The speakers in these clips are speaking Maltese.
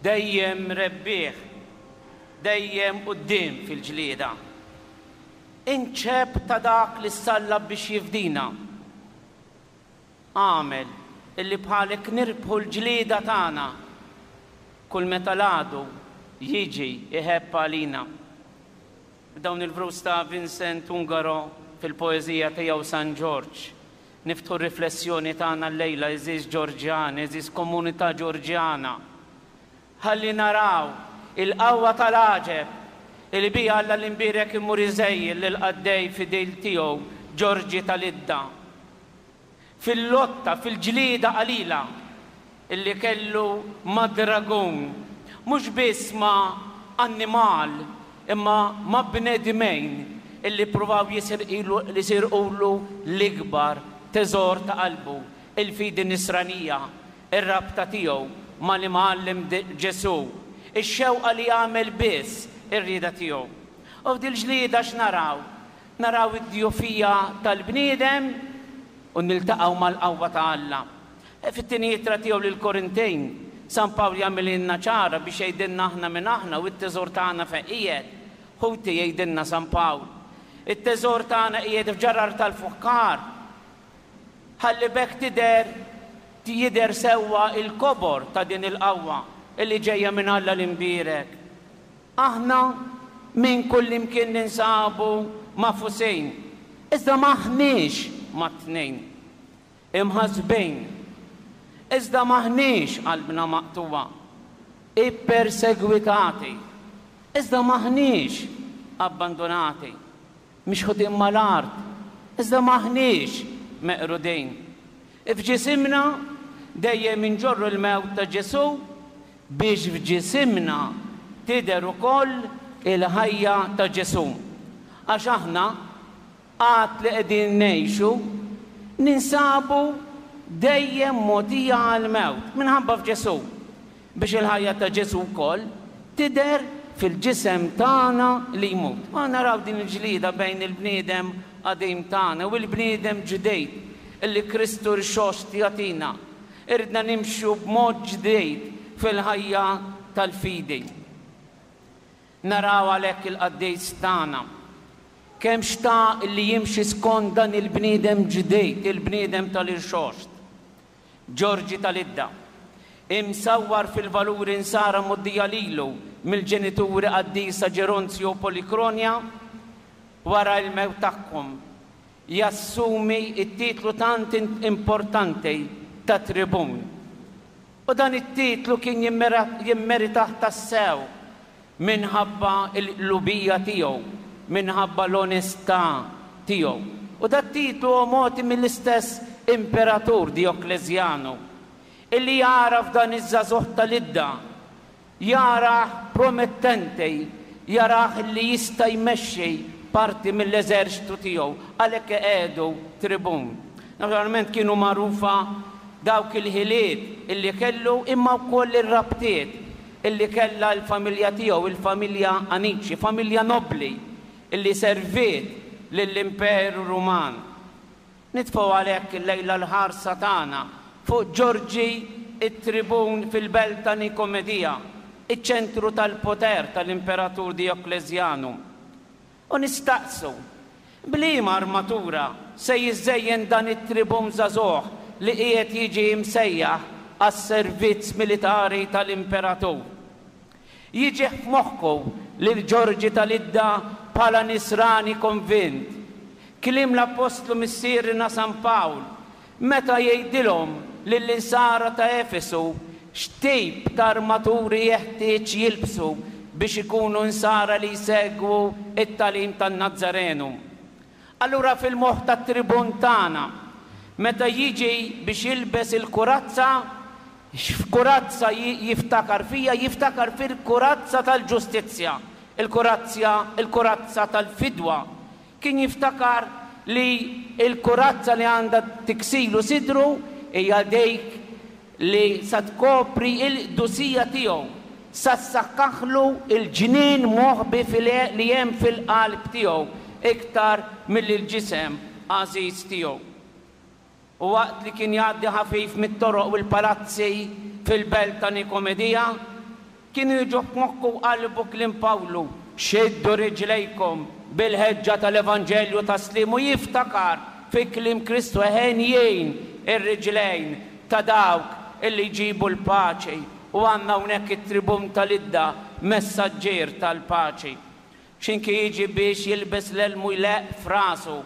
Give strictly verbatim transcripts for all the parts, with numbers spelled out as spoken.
Dejjem rebbieħ, dejjem quddiem fil-ġlieda. Inċeb ta' dak li ssallab biex jifdina. Agħmel illi bħalek nirbħu l-ġlieda tagħna kull meta l-għadu jiġi iħebb għalina. B'dawn il-vrus ta' Vincent Ungaro fil-poeżija tiegħu San Ġorġ, niftħu r-riflessjoni tagħna llejla, għeżież Ġorġjani, għeżież komunità Ġorġjana. Ħalli naraw il-qawwa tal-għaġeb li biha Alla l-imbierek imur iżejjel lill-qaddej fidil tiegħu Ġorġi tal-Idda. Fil-lotta, fil-ġlieda qalila illi kellu ma' dragun, mhux biss ma' annimal imma ma' bnedmejn illi pruvaw jisirqulu l-ikbar teżor ta' qalbu, il-fidi nisranija, ir-rabta tiegħu mal-Imgħallem Ġesù, ix-xewqa li jagħmel biss ir-rieda tiegħu. U f'dil-ġlieda x'naraw? Naraw id-djufija tal-bniedem u niltaqgħu mal-qawwa ta' Alla. Fit-tieni ittra tiegħu lill-Korintejn, San Pawl jagħmililna ċara biex jgħidilna aħna minn aħna u t-teżor tagħna fejn qiegħed. Ħuti, jgħidilna San Pawl, it-teżor tagħna qiegħed f'ġarar tal-fuħħar. Ħalli b'hekk tidher jidher sewwa il-kobor ta' din il-qawwa illi ġejja minn Alla l-imbierek. Aħna minn kull imkien ninsabu mafusin, iżda maħniex mat-tnejn. Imħasbin, iżda maħniex qalbna maqtuwa. Ippersegwitati, iżda maħniex abbandonati. Mixħutin mal-art, iżda maħniex meqrudin. F'ġisimna dejjem inġorru l-mewt ta' Ġesù biex f'ġisimna tidher ukoll il-ħajja ta' Ġesù. Għax aħna għad li qegħdin ngħixu ninsabu dejjem mogħtija għall-mewt minħabba f'Ġesù, biex il-ħajja ta' Ġesù wkoll tidher fil-ġisem tagħna li jmut. Ma naraw din il-ġlieda bejn il-bniedem qadim tagħna u l-bniedem ġdid illi Kristu rxoxt jagħtina. Iridna nimxu b'mod ġdid fil-ħajja tal-fidi. Naraw għalhekk il-qaddis tagħna kemm xtaq li jimxi skont dan il-bniedem ġdid, il-bniedem tal-irxoxt. Ġorġi tal-Idda, imsawwar fil-valuri nsara mgħoddija lilu mill-ġenituri qaddisa Ġeronzju u Polikronja, wara l-mewt tagħhom jassumi it-titlu tant importanti ta' tribun. U dan it-titlu kien jimmeritah tassew minħabba l-lubija tiegħu, minħabba l-onestà tiegħu. U dat titlu huwa mogħti mill-istess imperatur Dioklezjanu, illi jara f'dan iż-żagħżugħ tal-Idda, jarah promettenti, jarah li jista' jmexxi parti mill-eżerċtu tiegħu, għalhekk qiegħdu tribun. Naturalment kienu magħrufa dawk il-ħiliet illi kellu, imma wkoll ir-rabtiet illi kellha l-familja tiegħu, il-familja Anici, familja nobli illi serviet lill-Imperu Ruman. Nitfgħu għalhekk illejla l-ħarsa tagħna fuq Ġorġi it-tribun fil-belt ta' Nikomedija, iċ-ċentru tal-poter tal-Imperatur Dioklezjanu. U nistaqsu, b'liema armatura se jiżżejjen dan it-tribun żagħżugħ li qiegħed jiġi msejjaħ għas-servizz militari tal-Imperatur? Jiġi f'moħħu lil Ġorġi tal-Idda bħala nisrani konvint. Kliem l-Apostlu Missierna San Pawl meta jgħidilhom lill-insara ta' Efesu x'tip ta' armaturi jeħtieġ jilbsu biex ikunu insara li jsegwu it-tagħlim tan-Nazzarenu. Allura fil-moħħ tat-tribun tagħna, meta jiġi biex jilbes il-kurazza, x'kurazza jiftakar fija? Jiftakar fil-kurazza tal-ġustizzja, il-kurazza, il-kurazza tal-fidwa. Kien jiftakar li il-kurazza li għandha tiksilu sidru hija dik li sa tkopri il-qdusija tiegħu, sa ssakkaħlu il-ġnien moħbi li hemm fil-qalb tiegħu iktar mill-ġisem għażiż tiegħu. U waqt li kien jgħaddi ħafif mit-toroq u l-palazzi fil-belt ta' Nikomedija, Kienu jiġu f'moħħu u qalbu kliem Pawlu, xiddu riġlejkom bil-ħeġġa tal-Evanġelju tas-sliem, u jiftakar fi kliem Kristu, henjin ir-riġlejn ta' dawk illi jġibu l-paċi. U għandna hawnhekk it-tribun tal-Idda, messaġġier tal-paċi. X'inki jiġi biex jilbes l-elmu jleqq f'rasu,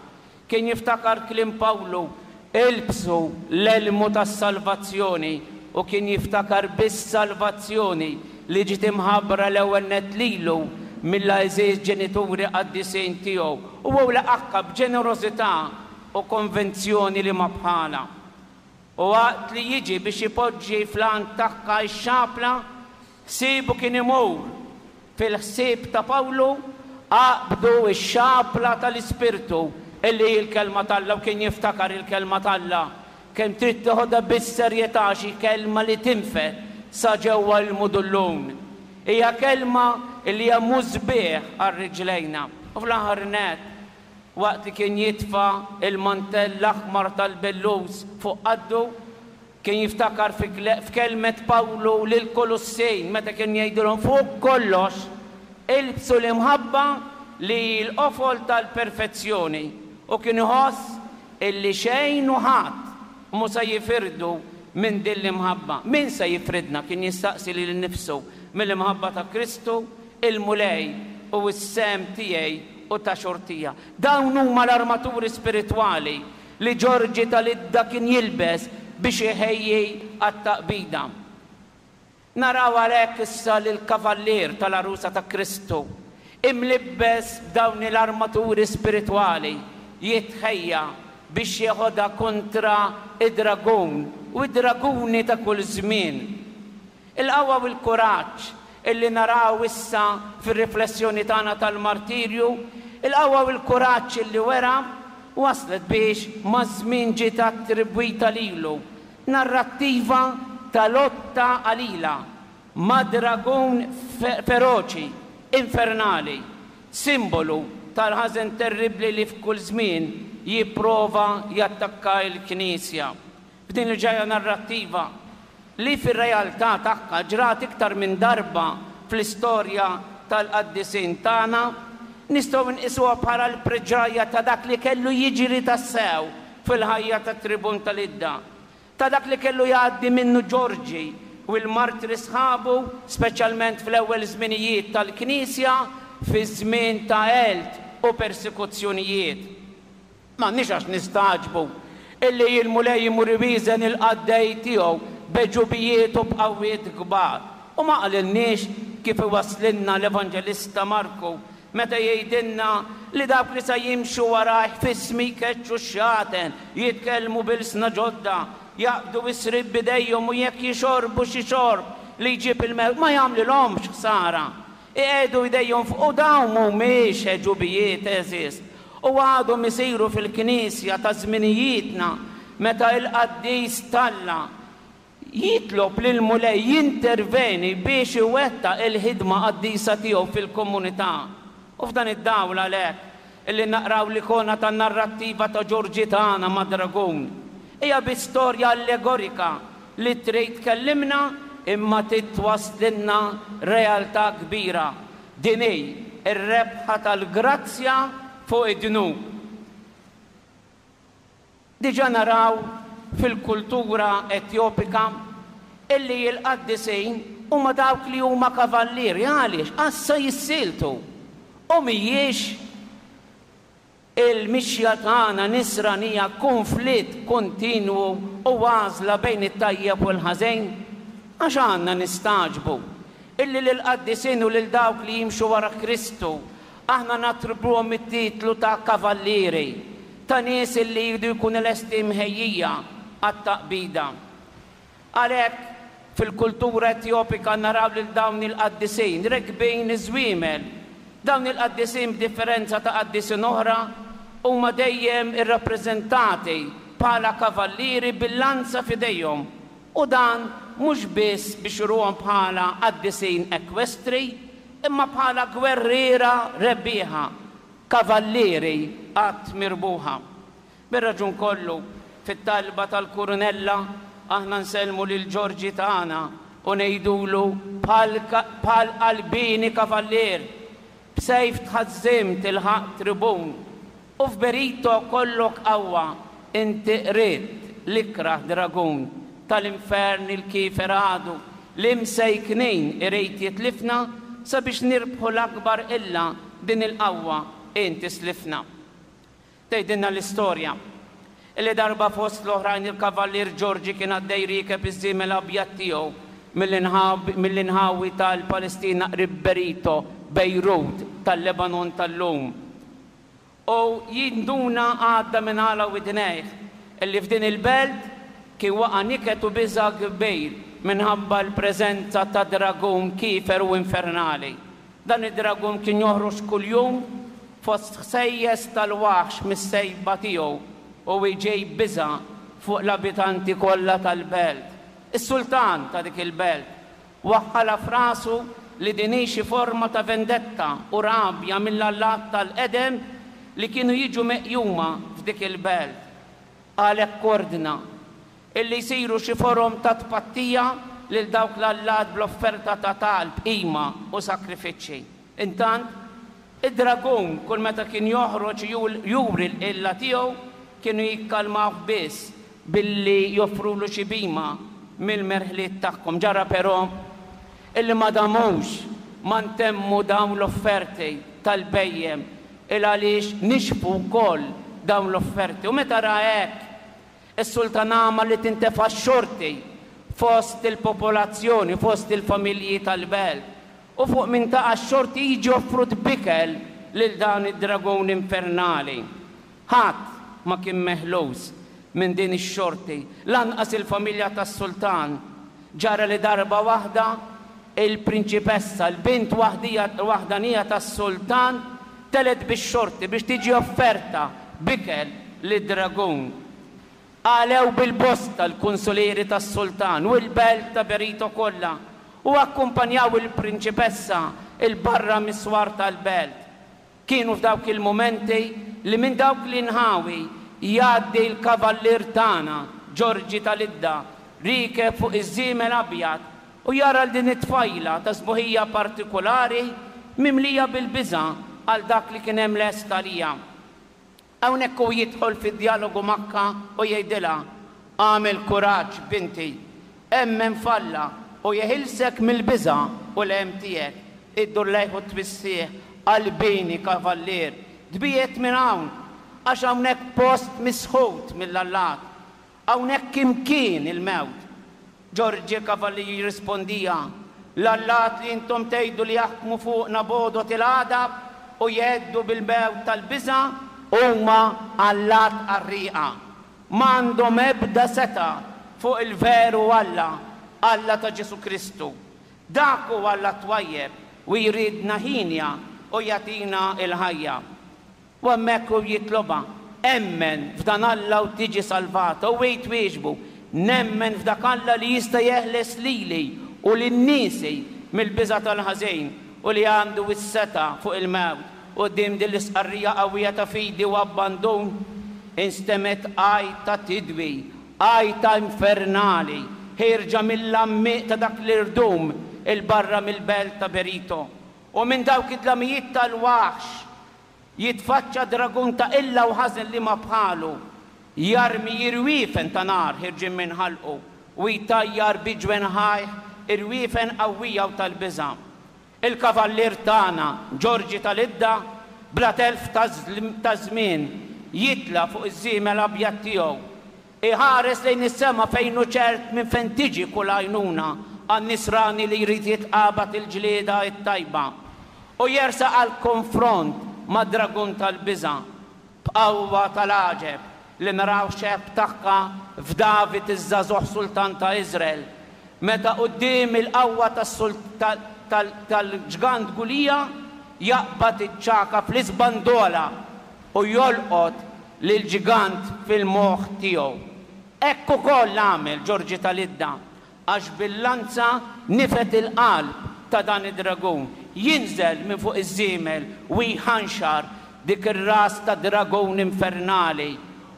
kien jiftakar kliem Pawlu, ilbsu l-elmu tas-salvazzjoni, u kien jiftakar bis-salvazzjoni li ġiet imħabbra l-ewwel nett lilu mill-għeżież ġenituri qaddisin tiegħu, u hu laqagħha b'ġenerożità u konvinzjoni li ma bħalha. U waqt li jiġi biex ipoġġi fl-għan tagħha x-xapla, ħsiebu kien imur fil-ħsieb ta' Pawlu, aqbdu x-xapla tal-Ispirtu, illi hi l-Kelma t'Alla, u kien jiftakar il-Kelma t'Alla, kemm trid teħodha bis-serjetà għax hi kelma li tinfed sa ġewwa l-mudullun. Hija kelma li hija musbieħ għal riġlejna. U fl-aħħar nett, waqt li kien jitfa' l-mantell l-aħmar tal-bellus fuq qaddu, kien jiftakar f'kelmet Pawlu lill-Kolussin meta kien jgħidilhom fuq kollox ilbsu l-imħabba li hi l-qofol tal-perfezzjoni, u kien iħoss illi xejn u ħadd mhu se jifirdu minn din l-imħabba. Min se jifridna, kien jistaqsi lilu nnifsu, mill-imħabba ta' Kristu, il-Mulej u s-sehem tiegħi u ta' xortija? Dawn huma l-armaturi spiritwali li Ġorġi tal-Idda kien jilbes biex iħejji għat-taqbida. Naraw għalhekk issa lill-kavallier tal-għarusa ta' Kristu, imlibbes b'dawn l-armaturi spiritwali, jitħejja biex jeħodha kontra d-dragun u d-draguni ta' kull żmien. Il-qawwa u l-kuraġġ illi naraw issa fir-riflessjoni tagħna tal-martirju, il-qawwa u l-kuraġġ illi wera, waslet biex maż-żmien ġiet attribwita lilu narrattiva ta' lotta qalila ma' dragun feroċi, infernali, simbolu tal-ħażen terribbli li f'kull żmien jipprova jattakka l-Knisja. F'din il-ġrajja narrattiva, li fir-realtà tagħha ġrat iktar minn darba fl-istorja tal-qaddisin tagħna, nistgħu nqisuha bħala l-preġrajja ta' dak li kellu jiġri tassew fil-ħajja tat-tribun tal-Idda, ta' dak li kellu jgħaddi minnu Ġorġi u l-martri sħabu, speċjalment fl-ewwel żminijiet tal-Knisja, fi żmien ta' għelt u persekuzzjonijiet. M'għandniex għax nistagħġbu illi l-Mulej imur iwieżen il-qaddej tiegħu b'għeġubijiet u b'qawwiet kbar. U ma qalilniex kif iwasslilna l-Evanġelista Marku meta jgħidilna li dawk li sa jimxu warajh f'ismi jkeċċu x-xjaten, jitkellmu b'ilsna ġodda, jaqbdu s-sriep b'idejhom u jekk jixorbu xi xorb li jġib il-mewt ma jagħmlilhomx ħsara. Iqiegħdu jdejhom fuq u dawn mhumiex għeġubijiet, għeżież, u għadhom isiru fil-Knisja ta' żminijietna meta il-qaddis t'Alla jitlob lill-Mulej jinterveni biex iwettaq il-ħidma qaddisa tiegħu fil-komunità. U f'dan id-dawl għalhekk illi naqraw l-ikona tan-narrattiva ta' Ġorġi tagħna ma' dragun. Hija biss storja allegorika li trid tkellimna imma trid twasslilna realtà kbira. Din hi r-rebħa tal-grazzja fuq id-dnub. Diġà naraw fil-kultura Etjopika illi l-qaddisin huma dawk li huma kavallieri. Għaliex? Għax se jissieltu. U mhijiex il-mixja tagħna nisranija kunflitt kontinwu u għażla bejn it-tajjeb u l-ħażin? Għax għandna nistagħġbu illi lill-qaddisin u lil dawk li jimxu wara Kristu aħna nattribwuhom it-titlu ta' kavallieri, ta' nies illi jridu jkunu lesti mħejjija għat-taqbida. Għalhekk, fil-kultura Etjopika naraw lil dawn il-qaddisin rekbin iż-żwiemel. Dawn il-qaddisin b'differenza ta' qaddisin oħra huma dejjem irrappreżentati bħala kavallieri bil-lanza f'idejhom, u dan mhux biss biex juruhom bħala qaddisin ekwestri, imma bħala gwerriera rebbieħa, kavallieri qatt mirbuħa. Bir-raġun kollu, fit-talba tal-Kurunella aħna nsellmu lil Ġorġi tagħna u ngħidulu bħal qalbieni kavallier, b'sejf tħażżimt ilħaqt tribun, u f'Berito kollok qawwa inti qridt l-ikrah dragun tal-infern il-kiefer għadu li msejknin irid jitlifna sabiex nirbħu l-akbar illa din il-qawwa inti slifna. Tgħidilna l-istorja illi darba fost l-oħrajn il-kavallier Ġorġi kien għaddej riekeb iż-żiemel abjad tiegħu mill-inħawi tal-Palestina qrib Berito, Bejrut, tal-Lebanon tal-lum. U jinduna għadda minn għala widnejh illi f'din il-belt kien waqa' niket u biża' kbir minħabba l-preżenza ta' dragun kiefer u infernali. Dan id-dragun kien joħroġ kuljum fost ħsejjes tal-waħx mis-sejba tiegħu u jġib biża' fuq l-abitanti kollha tal-belt. Is-sultan ta' dik il-belt waħħalha f'rasu li din hi xi forma ta' vendetta u rabja mill-allat tal-qedem li kienu jiġu meqjuma f'dik il-belt. Għalhekk ordna illi jsiru xi forom ta' tpattija lil dawk l-allat bl-offerta ta' talb, qima u sakrifiċċji. Intant, id-dragun kull meta kien joħroġ juri l-qilla tiegħu kienu jikkalmawh biss billi joffrulu xi bima mill-merħliet tagħhom. Ġara però illi ma damux ma ntemmu dawn l-offerti tal-bhejjem il għaliex nixfu wkoll dawn l-offerti. U meta ra hekk, is-sultan għamel li tintefa' x-xorti fost il-popolazzjoni, fost il-familji tal-belt. U fuq min taqa' x-xorti jiġi offrut bikel lil dan id-dragun infernali. Ħadd ma kien meħlus minn din ix-xorti, lanqas il-familja tas-sultan. Ġara li darba waħda il-prinċipessa, l-bint waħdanija tas-sultan, telet bix-xorti biex tiġi offerta bikel lid-dragun. Għalew bil-bosta l-kunsulieri tas-sultan u l-belt ta' Berito kollha u akkumpanjaw il-prinċipessa il-barra mis-swar tal-belt. Kienu f'dawk il-mumenti li minn dawk l-inħawi jgħaddi l-kavallier tagħna, Ġorġi tal-Idda, riekeb fuq iż-żiemel abjad u jara l din it-tfajla ta' sbuħija partikulari mimlija bil-biża' għal dak li kien hemm lest għalija. Hawnhekk hu jidħol fid-djalogu magħha u jgħidilha, Agħmel kuraġġ, binti, emmen f'Alla u jeħilsek mill-biża' u l-hemm tiegħek. Iddur lejh u twissih, Qalbini, kavallier, tbiegħed minn hawn, għax hawnhekk post misħut mill-allat. Hawnhekk imkien il-mewt. Ġorġi Kavallier jirrispondiha, L-allat li intom tgħidu li jaħkmu fuqna b'għodod il-għadab u jheddu bil-mewt tal-biża' huma allat qarrieqa. M'għandhom ebda setgħa fuq il-veru Alla, Alla ta' Ġesù Kristu. Dak hu Alla twajjeb u jridna hienja u jagħtina l-ħajja. U hemmhekk hu jitlobha, Emmen f'dan Alla u tiġi salvata. U hi twieġbu, Nemmen f'dak Alla li jista' jeħles lili u lil niesi mill-biża' tal-ħażin u li għandu s-setgħa fuq il-mewt. Quddiem din l-istqarrija qawwija ta' fidi u abbandun, instemgħet għajta tidwi, għajta infernali, ħierġa mill-għammieq ta' dak l-irdum 'il barra mill-belt ta' Berito. U minn dawk id-dlamijiet tal-waħx jitfaċċa dragun ta' qilla u ħażen liema bħalu, jarmi irwiefen ta' nar ħirġin minn ħalqu u jtajjar bi ġwenħajh irwiefen qawwija u tal-biża'. Il-kavallier tagħna, Ġorġi tal-Idda, bla telf ta' żmien jitla' fuq iż-żiemel abjad tiegħu. Iħares lejn is-sema fejn hu ċert minn fejn tiġi kull għajnuna għan-nisrani li jrid jitqabad il-ġlieda t-tajba u jersaq għall-konfront mad-dragun tal-biża' b'qawwa tal-għaġeb li naraw xebh tagħha f'David iż-żagħżugħ sultan ta' Iżrael meta quddiem il-qawwa tal-ġgant Gulija jaqbad iċ-ċagħka fl-iżbandola u jolqot lill-ġigant fil-moħħ tiegħu. Hekk ukoll għamel Ġorġi tal-Idda, għax bil-lanza nifed il-qalb ta' dan id-dragun. Jinżel minn fuq iż-żiemel u jħanxar dik ir-ras ta' dragun infernali.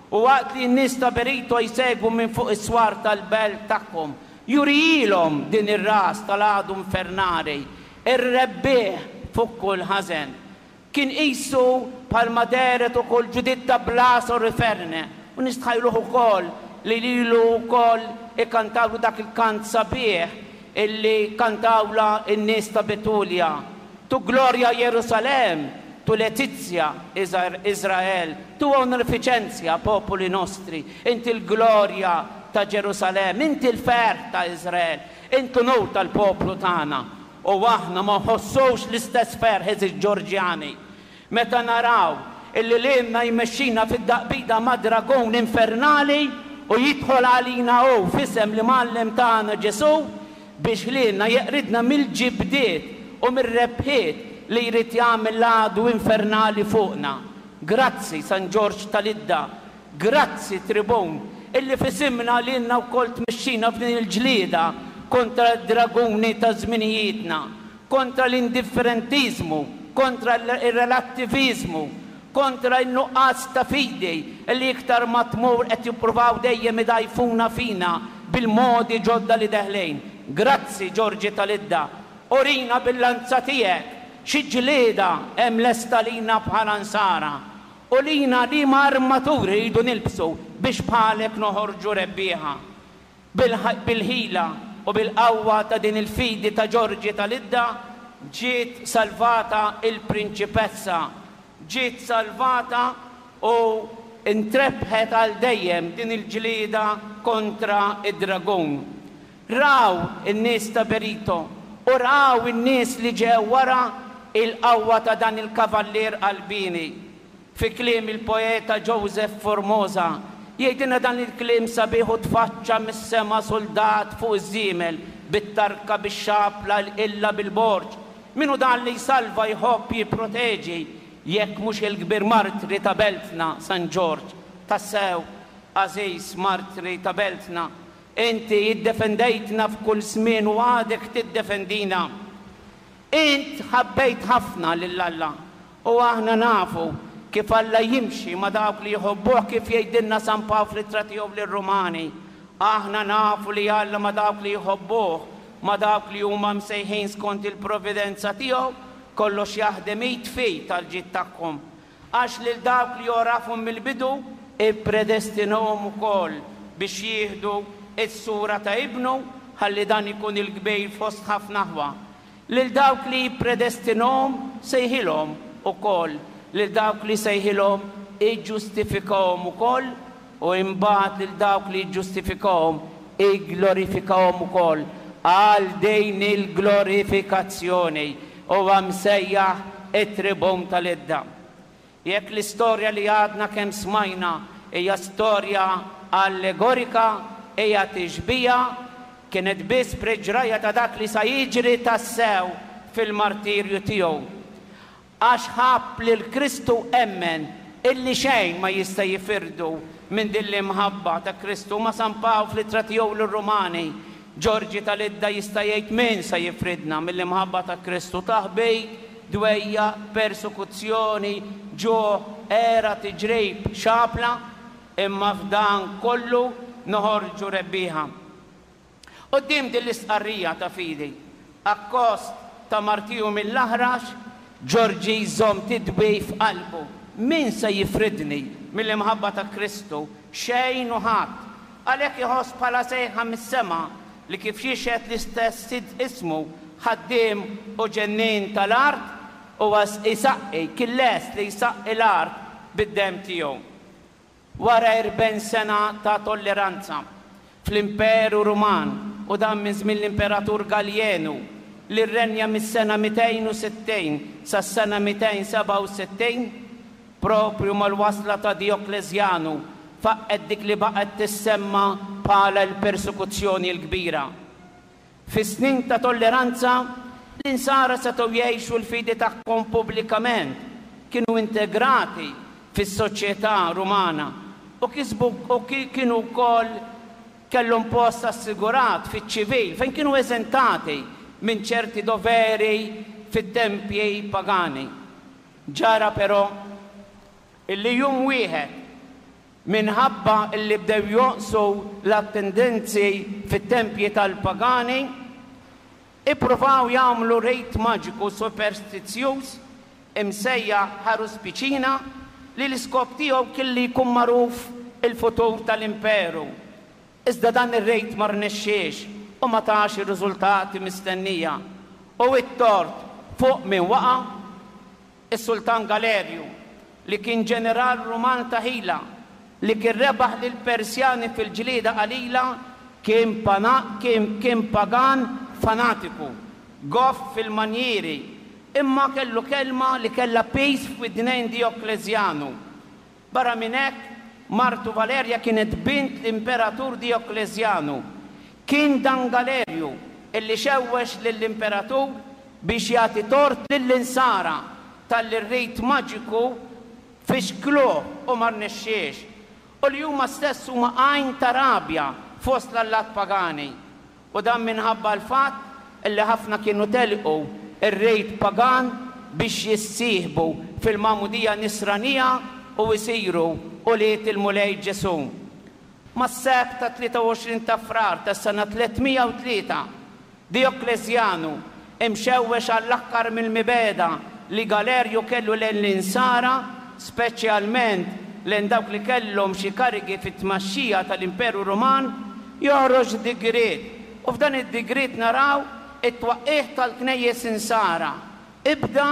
U waqt li n-nies ta' Berito jsegwu minn fuq is-swar tal-belt tagħhom Jurijilhom din ir-ras tal-għadu infernali, ir-rebbieħ fuq kull ħażen. Kien qisu bħalma dehret ukoll Ġuditta Blas Oriferne, u nistħajluh ukoll li lilu wkoll ikantawlu dak il-kant sabiħ illi kantawla n-nies ta' Betulja. Tu gloria Jerusalem, tu letizia Israel, tu onorificentia popoli nostri, inti l-glorja ta' Ġerusalem, inti l-ferħ ta' Israel, inti l-unur tal-poplu tagħna. U aħna ma nħossux l-istess ferħ eżis Ġorġjani meta naraw illi lilna jmexxina fid-daqbida ma' dragun infernali u jidħol għalina hu f'isem l-Imgħallem tagħna Ġesù biex lilna jeqridna mill-ġibdiet u mir-rebħiet li jrid jagħmel l-għadu infernali fuqna. Grazzi San Ġorġ tal-Idda, grazzi Tribun, illi f'isimna lilna wkoll tmexxina f'din il-ġlieda kontra d-draguni ta' żminijietna, kontra l-indifferentiżmu, kontra r-relattiviżmu, kontra n-nuqqas ta' fidi li iktar ma tmur qed jippruvaw dejjem idgħajfuna fina bil-modi ġodda li deħlin. Grazzi Ġorġi tal-Idda, urina bil-lanza tiegħek xi ġlieda hemm lesta lina bħala nsara, u lina liema armaturi rridu nilbsu biex bħalek noħorġu rebbieħa. Bil-ħila u bil-qawwa ta' din il-fidi ta' Ġorġi tal-Idda ġiet salvata il-prinċipessa, ġiet salvata u intrebħet għal dejjem din il-ġlieda kontra id-dragun. Raw in-nies ta' Berito u raw in-nies li ġew wara il-qawwa ta' dan il-kavallier qalbieni. Fi kliem il-poeta Joseph Formosa jgħidilna dan il-kliem sabiħ u tfaċċa mis-sema soldat fuq iż-żiemel bit-tarka bix-xapla l-qilla bil-borġ. Min hu dan li jsalva jħobb jipproteġi jekk mhux il-kbir martri ta' beltna San Ġorġ? Tassew, għażiż martri ta' beltna, inti iddefendejtna f'kull żmien u għadek tiddefendina. Int ħabbejt ħafna lil Alla u aħna nafu kif Alla jimxi ma' dawk li jħobbuh, kif jgħidilna San Pawl fl-ittra tiegħu lir-Rumani. Aħna nafu li Alla ma' dawk li jħobbuh, ma' dawk li huma msejħin skont il-providenza tiegħu, kollox jaħdem id f'id tal-ġid tagħhom. Għax lil dawk li jorafhom mill-bidu ippredestinhom ukoll biex jieħdu s-sura ta' ibnu, ħalli dan ikun il-kbir fost ħafna aħwa. Lil dawk li jippredestinhom sejħilhom ukoll, lil dawk li sejħilhom iġġustifikahom ukoll, u imbagħad lil dawk li jiġġustifikahom igglorifikahom ukoll. Għal din il-glorifikazzjoni huwa msejjaħ it-tribun tal-Idda. Jekk l-istorja li għadna kemm smajna hija storja allegorika, hija tixbija, kienet biss preġraja ta' dak li sa jiġri tassew fil-martirju tiegħu. Għax ħabb lil Kristu emmen illi xejn ma jista' jifirdu minn din l-imħabba ta' Kristu. Ma' San Pawl fl-ittra tiegħu lir-Rumani, Ġorġi tal-Idda jista' jgħid min sa jifridna mill-imħabba ta' Kristu? Taħbit, dwejja, persekuzzjoni, ġuħ, era, tiġrib, xapla, imma f'dan kollu noħorġu rebbieħa. Quddiem din l-istqarrija ta' fidi, akkost ta' martiju mill-aħrax, Ġorġi jżomm tidwi f'qalbu. Min se jifridni mill-imħabba ta' Kristu? Xejn u ħadd. Għalhekk iħoss bħala sejħa mis-sema li kif jixhed l-istess sid ismu, ħaddiem u ġennien tal-art, huwa jsaqqi, kien lest li jsaqqi l-art bid-demm tiegħu. Wara erbgħin sena ta' tolleranza fl-Imperu Ruman, u dan minn żmien l-Imperatur Galjenu li rrenja mis-sena mitejn u sittin sas-sena mitejn sebgħa u sittin, propju mal-wasla ta' Dioklezjanu faqqet dik li baqgħet tissemma bħala l-persekuzzjoni l-kbira. Fis-snin ta' tolleranza, l-insara setgħu jgħixu l-fidi tagħhom pubblikament, kienu integrati fis-soċjetà Rumana u kisbu u kienu wkoll kellhom post assigurat fiċ-ċivil fejn kienu eżentati minn ċerti doveri fit-tempji pagani. Ġara però illi jum wieħed Minħabba illi bdew jonqsu l-attendenzi fit-tempji tal-pagani, ippruvaw jagħmlu rit maġiku superstizzjuż imsejjaħ Haruspicina li l-iskop tiegħu kien li jkun magħruf il-futur tal-imperu. Iżda dan ir-rit ma rnexxiex u ma tax ir-riżultati mistennija. U it-tort fuq min waqa'? Is-Sultan Galerju, li kien ġeneral Ruman ta' ħila, li kien rebaħ lill-Persjani fil-ġlieda qalila, kien, pana, kien, kien pagan fanatiku, goff fil-manjieri, imma kellu kelma li kellha piż f'widnejn Dioklezjanu. Barra minn hekk, martu Valerja kienet bint l-imperatur Dioklezjanu. Kien dan Galerju illi xewwex lill-imperatur biex jagħti tort lill-insara talli r-rit maġiku fixkluh u ma rnexxiex, u li huma stess huma għajn ta' rabja fost l-allat pagani. U dan minħabba l-fatt illi ħafna kienu telqu ir-rit pagan biex jissieħbu fil-magħmudija nisranija u jsiru ulied il-Mulej Ġesù. Mas-Sebt ta' tlieta u għoxrin ta' Frar tas-sena tliet mija u tlieta, Dioklezjanu, imxewwex għall-aħħar mill-mibegħda li Galerju kellu lejn l-insara, speċjalment lejn dawk li kellhom xi karigi fit-tmexxija tal-Imperu Ruman, joħroġ digriet. U f'dan id-digriet naraw it-twaqqigħ tal-knejjes insara. Ibda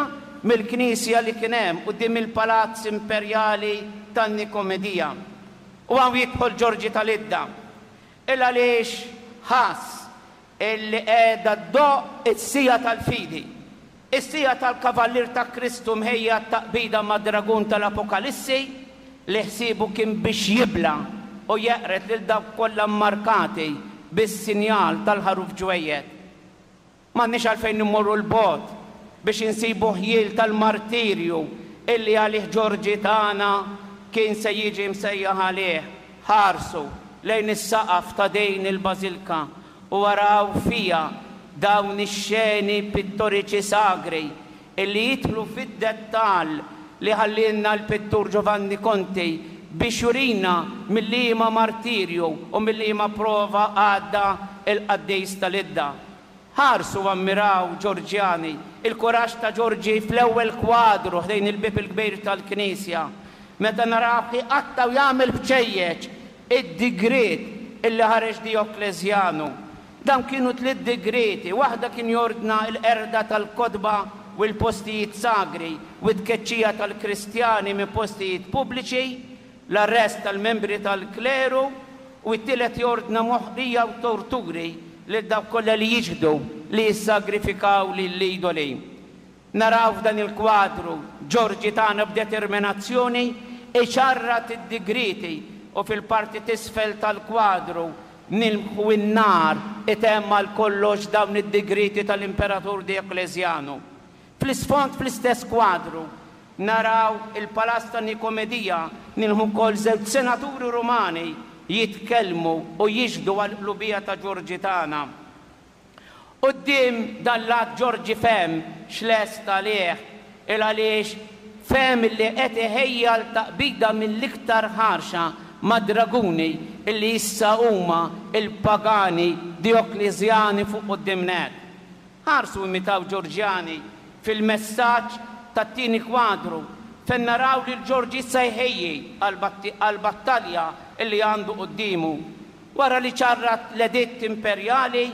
mill-knisja li kien hemm quddiem il-Palazz Imperjali tan-Nikomedija. U hawn jidħol Ġorġi tal-Idda. Il għaliex ħass illi qiegħda ddoqq is-siegħa tal-fidi. Is-siegħa tal-Kavallier ta' Kristu mħejja taqbida mad-dragun tal-Apokalissi li ħsiebu kien biex jibla u jeqred lil dawk kollha mmarkati bis-sinjal tal-ħaruf ġwejjed. M'għandniex għalfejn immorru 'l bogħod biex insibu ħjiel tal-martirju illi għalih Ġorġi tagħna kien se jiġi msejjaħ għalih. Ħarsu lejn is-saqaf ta' din il-bażilka u araw fiha dawn ix-xeni pittoriċi sagri illi jidħlu fid-dettall li ħallielna l-pittur Giovanni Conti biex jurina mill-liema martirju u mill-liema prova għadda il-qaddis tal-Idda. Ħarsu ammiraw Ġorġjani, il-kuraġġ ta' Ġorġi fl-ewwel kwadru ħdejn il-bieb il-kbir tal-Knisja. Meta naraw iqatta' u jagħmel bċejjeċ id-digriet illi ħareġ Dioklezjanu. Dawn kienu tliet digreti, waħda kien jordna l-qerda tal-kotba u l-postijiet sagri u t-tkeċċija tal-Kristjani minn postijiet pubbliċi, l-arrest tal-membri tal-kleru, u t-tielet jordna moħqrija u torturi lil dawk kollha li jiġħdu li jissagrifikaw lill-idoli. Naraw f'dan il-kwadru Ġorġi tagħna b'determinazzjoni iċarrat id-digreti u fil-parti t'isfel tal-kwadru nilmħu n-nar itemm għal kollox dawn id-digreti tal-Imperatur Dioklezjanu. Fl-isfond fl-istess kwadru naraw il-Palazz ta' Nikomedija, nilmħu wkoll żewġ senaturi Rumani jitkellmu u jixhdu għall-qlubija ta' Ġorġi tagħna. Quddiem dan l-att Ġorġi fehem x'lest għalih, il għaliex fehem li qed iħejja l-taqbida mill-iktar ħarxa mad-draguni illi issa huma il-pagani Dioklezjani fuq quddiem nett. Ħarsu imitaw Ġorġjani fil-messaġġ tat-tieni kwadru fejn naraw li l-Ġorġi issa jħejji għall-battalja illi għandu quddiemu. Wara li ċarrat l-editt imperjali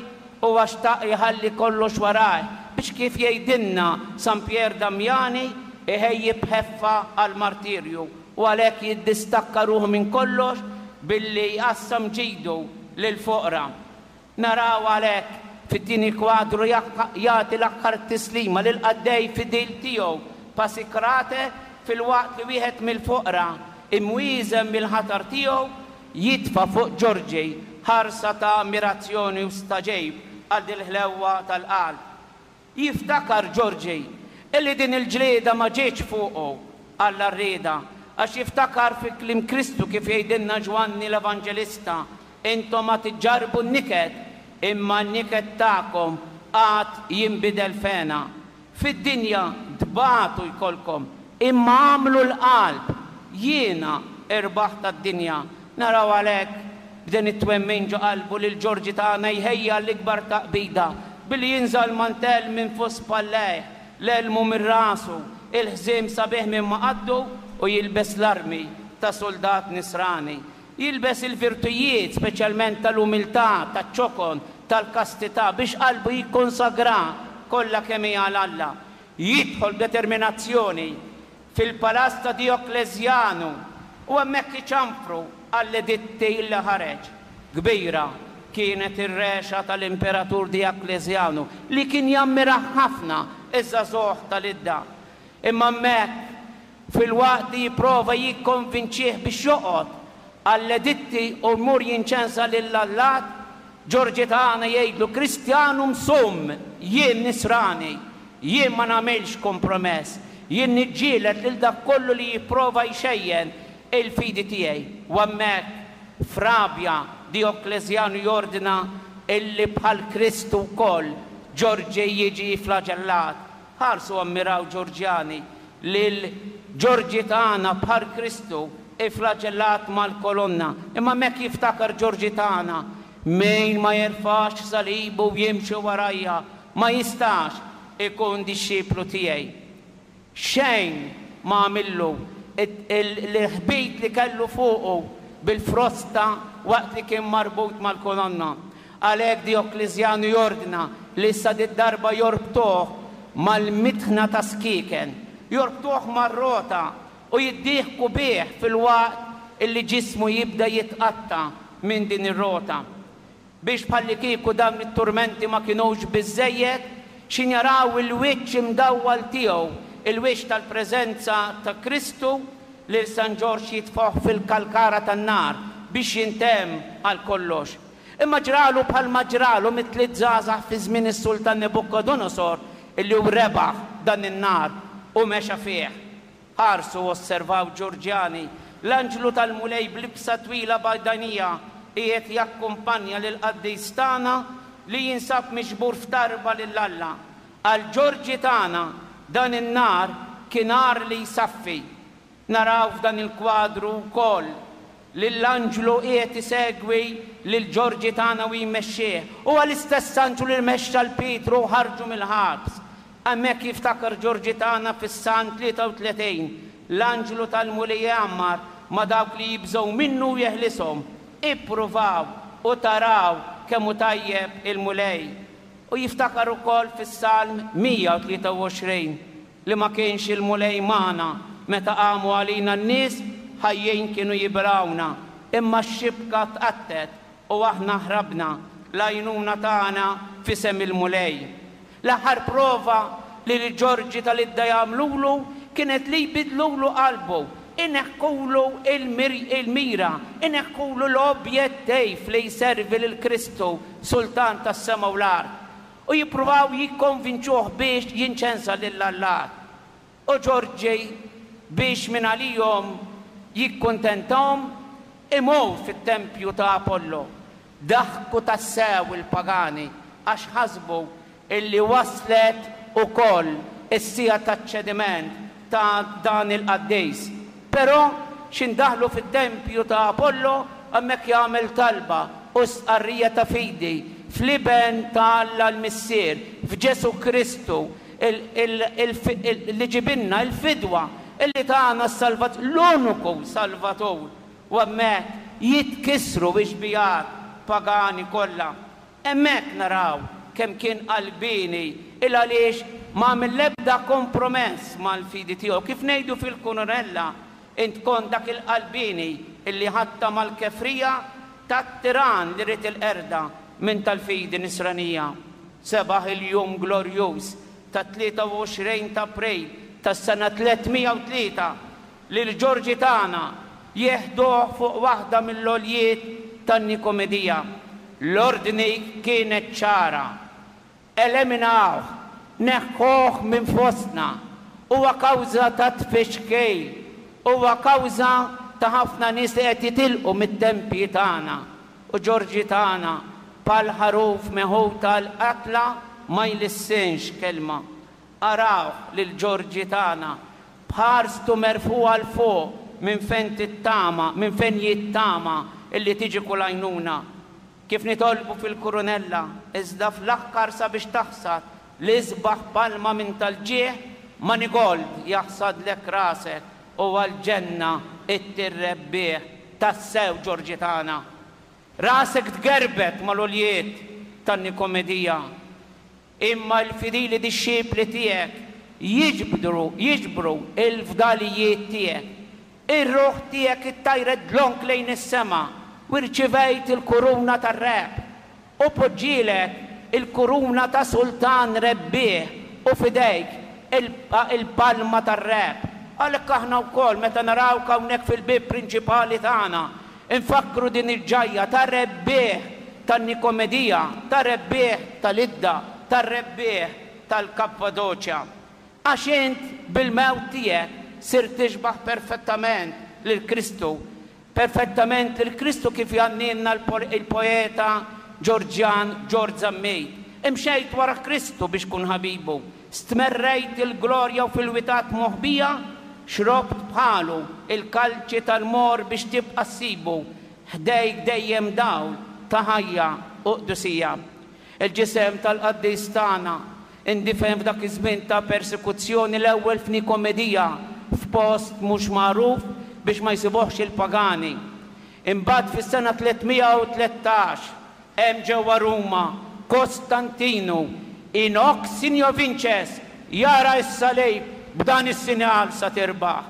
u xtaq jħalli kollox warajh biex, kif jgħidilna San Pier Damiani, iħejji bħeffa għal-martirju u għalhekk jiddistakka ruħu minn kollox billi jqassam ġidu lil foqra. Naraw għalhekk fit-tieni kwadru jagħti l-aħħar tislima lil qaddej fidil tiegħu Pasikrate, filwaqt li wieħed mill-foqra imwieżen mill-ħatar tiegħu jitfa' fuq Ġorġi ħarsa ta' ammirazzjoni u stagħġib għal dil-ħlewwa tal-qalb. Jiftakar Ġorġi illi din il-ġlieda ma ġietx fuqu għall-għarrieda, għax jiftakar fi kliem Kristu kif jgħidilna Ġwanni l-Evanġelista: "Intom ma tiġġarbu n-niket, imma n-niket tagħkom għad jinbidel f'hena. Fid-dinja tbatu jkollkom, imma agħmlu l-qalb, jiena irbaħt għad-dinja. Naraw għalhekk b'din it-twemmin ġo qalbu lil Ġorġi tagħna jħejja l-ikbar taqbida billi jinża' l-mantell minn fuq spallejh, l-elmu minn rasu, il-ħżiem sabiħ minn ma' qaddu u jilbes l-armi ta' soldat nisrani. Jilbes il-virtujiet, speċjalment tal-umiltà, taċ-ċokon, tal-kastità, biex qalbu jikkonsagra kollha kemm hi għal Alla. Jidħol b'determinazzjoni fil-palazz ta' Dioklezjanu u hemmhekk iċanfru għall-editti li ħareġ. Kbira kienet ir-rexa tal-imperatur Dioklezjanu li kien jammira ħafna iż-żagħżugħ tal-Idda. Imma hemmhekk filwaqt li jipprova jikkonvinċih biex joqgħod għall-editti u jmur jinċensa lill-allat, Ġorġi tagħna jgħidlu Kristjanum sum, jien nisrani, jien ma nagħmilx kompromess, jien niġġieled lil dak kollu li jipprova jxejjen il-fidi tiegħi. U hemmhekk f'rabja Dioklezjanu jordna illi bħal Kristu wkoll Ġorġi jiġi flagellat. Ħarsu ammiraw Ġorġjani lil Ġorġi tagħna bħal Kristu iflagellat mal-kolonna. Imma hemmhekk jiftakar Ġorġi tagħna, min ma jerfax salibu u jimxi warajja ma jistax ikun dixxiplu tiegħi. Xejn ma għamillu l-ħbit li kellu fuqu bil-frosta waqt li kien marbut mal-kolonna. Għalhekk Dioklezjanu jordna li issa darba jorbtuh mal-mitħna ta' skiken, jorbtuh mar-rota u jiddieħku bih fil-waqt illi ġismu jibda jitqatta minn din ir-rota. Biex bħalli kieku dawn it-turmenti ma kinux biżżejjed, xin jaraw il-wiċċ imdawwal tiegħu, il-wiċċ tal-preżenza ta' Kristu, lil San Ġorġ jitfoħ fil-kalkara tan-nar biex jintemm għal kollox. Imma ġralu bħalma ġralu mit-tliet żgħażagħ fi żmien is-Sultan Nebukodonosor illi hu rebaħ dan in-nar u mexa fih. Ħarsu osservaw Ġorġjani, l-anġlu tal-Mulej b'libsa twila bajdanija qiegħed jakkumpanja lil qaddis tagħna li jinsab miġbur f'tarba lil Alla. Għal Ġorġi tagħna dan in-nar kien nar li jsaffi. Naraw f'dan il-kwadru wkoll lill-anġlu qiegħed isegwi lil Ġorġi tagħna u jmexxih. Huwa l-istess anġlu li mexxa l Pietru u ħarġu mill-ħabs. Hemmhekk jiftakar Ġorġi tagħna fis-Salm tlieta u tletin, l-anġlu tal-Mulej jgħammar ma' dawk li jibżgħu minnu u jeħlishom. Ippruvaw u taraw kemm hu tajjeb il-Mulej. U jiftakar ukoll fis-Salm mija u tlieta u għoxrin li ma kienx il-Mulej magħna meta qamu għalina n-nies ħajjin kienu jibrawna, imma x-xibka tqattet u aħna ħrabna, l-għajnuna tagħna f'isem il-Mulej. L-aħħar prova li l-Ġorġi tal-Idda jagħmlulu kienet li jbidlulu qalbu, ineħħulu il-mira, ineħħulu l-objettiv li jservi lil Kristu, Sultan tas-sema u l-art, u jippruvaw jikkonvinċuh biex jinċensa lil Allat. U Ġorġi biex minn għalihom jikkuntentahom imur fit-tempju ta' Apollo. Daħku tassew il-pagani għax ħasbu illi waslet ukoll is-sija taċ-ċediment ta' dan il-qaddis. Però x'indaħlu fit-tempju ta' Apollo hemmhekk jagħmel talba u stqarrija ta' fidi fl-iben ta' Alla l-Missier, f'Ġesu Kristu, li ġibilna l-fidwa illi tagħna s-salvat, l-uniku salvatur. U hemmhekk jitkissru ix-xbijat pagani kollha. Hemmhekk naraw kemm kien qalbini il għaliex ma għamel l-ebda kompromess mal-fidi tiegħu. Kif ngħidu fil-Kunurella, int kont dak il-qalbini illi ħatta mal-kefrija tat-tiran li rid il-qerda minn tal-fidi nisranija. Sebaħ il-jum glorjuż ta' tlieta u għoxrin ta' April tas-sena tliet mija u tlieta li l-Ġorġi tagħna jeħduh fuq waħda mill-għoljiet tan-Nikomedija. L-ordni kienet ċara. Eliminawh, neħħuh minn fostna. Huwa kawża ta' tfixkil, huwa kawża ta' ħafna nies li qed jitilqu mit-tempji tagħna. U Ġorġi tagħna bħal ħaruf meħud tal-qatla ma jlissinx kelma. Arawh lil Ġorġi tagħna b'ħarstu merfugħa l fuq minn fejn tittama, minn fejn jittama illi tiġi kull għajnuna. Kif nitolbu fil-kurunella, iżda fl-aħħar sabiex taħsad l-isbaħ palma minn tal-ġieħ, manigold jaħsadlek rasek u għal-ġenna it-tirrebbieħ tassew Ġorġi tagħna. Rasek tgerbet mal-għoljiet tan-Nikomedija, imma l-fidili dixxipli tiegħek jiġbru jiġbru il-fdalijiet tiegħek. Ir-ruħ tiegħek ittajret dlonk lejn is-sema u rċivejt il-kuruna tar-rebħ u poġġielek il-kuruna ta' sultan rebbieħ u f'idejk il-palma tar-rebħ. Għalhekk aħna wkoll meta narawk hawnhekk fil-bieb prinċipali tagħna nfakkru din il-ġajja ta' rebbieħ tan-Nikomedija, ta' rebbieħ tal-Idda, tar-rebbieħ tal-Kappadoċja. Għax int bil-mewt tiegħek sirt tixbaħ perfettament lil Kristu, perfettament lil Kristu kif jgħannilna il-poeta Ġorġjan Ġorġ Zammit. Imxejt wara Kristu biex kun ħabibu, stmerrejt il-glorja u fil-witat moħbija, xrobt bħalu il-kalċi tal-mor biex tibqa' ssibu, ħdejk dejjem dawl ta' ħajja u qdusija. Il-ġisem tal-qaddis tagħna indifen f'dak iż-żmien ta' persekuzzjoni l-ewwel f'Nikomedija, f'post mhux magħruf biex ma jsibuhx il-pagani. Imbagħad fis-sena tliet mija u tlettax hemm ġewwa Ruma Kostantinu in hoc signo vinces, jara s-salib, b'dan is-sinjal sa tirbaħ.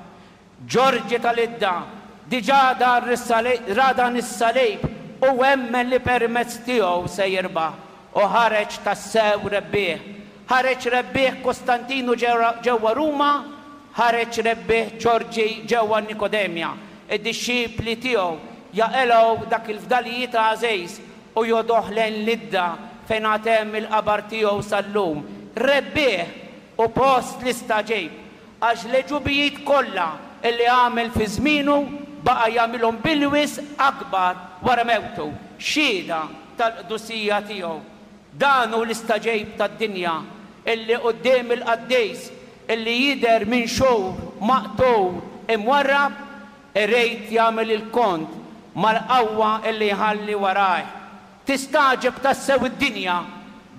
Ġorġi tal-Idda diġà dar ra dan is-salib u emmen li permezz tiegħu se jirbaħ u ħareġ tassew rebbieħ. Ħareġ rebbieħ Kostantinu ġewwa Ruma, ħareġ rebbieħ Ġorġi ġewwa Nikodemja. Id-dixxipli tiegħu jaqilgħu dak il-fdalijiet għażiż u joħduh lejn l-Idda fejn għad hemm il-qabar tiegħu sal-lum. Rebbieħ u post l-istagħġib għax l-għeġubijiet kollha illi għamel fi żmienu baqa' jagħmilhom bil-wisq akbar wara mewtu, xhieda tal-qdusija tiegħu. Dan hu l-istagħġib tad-dinja illi quddiem il-qaddis illi jidher minn xhur maqtul imwarrab irid jagħmel il-kont mal-qawwa illi jħalli warajh. Tistagħġeb tassew id-dinja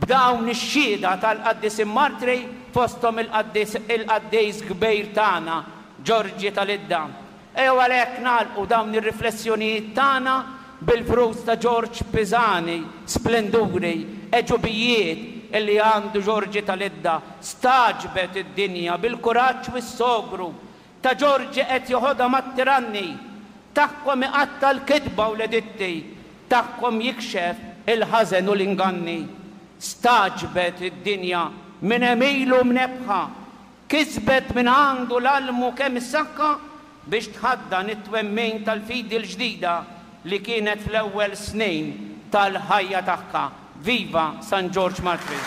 b'dawn ix-xhieda tal-qaddisin martri, fosthom il-qaddis il-qaddis kbir tagħna Ġorġi tal-Idda. Ejjew għalhekk nagħlqu dawn ir-riflessjonijiet tagħna bil-frus ta' Ġorġ Pisani, splenduri, għeġubijiet illi għandu Ġorġi tal-Idda. Stagħġbet id-dinja bil-kuraġġ u s-sogru ta' Ġorġi qed joħodha mat-tiranni, tagħhom iqatta' l-kitba u l-editti, tagħhom jikxef il-ħażen u l-inganni. Stagħġbet id-dinja minn għemilu mnebbħa, kisbet minn għandu l-almu kemm is-saħħa biex tħaddan it-twemmin tal-fidi l-ġdida li kienet fl-ewwel snin tal-ħajja tagħha. Viva San Ġorġ Martri!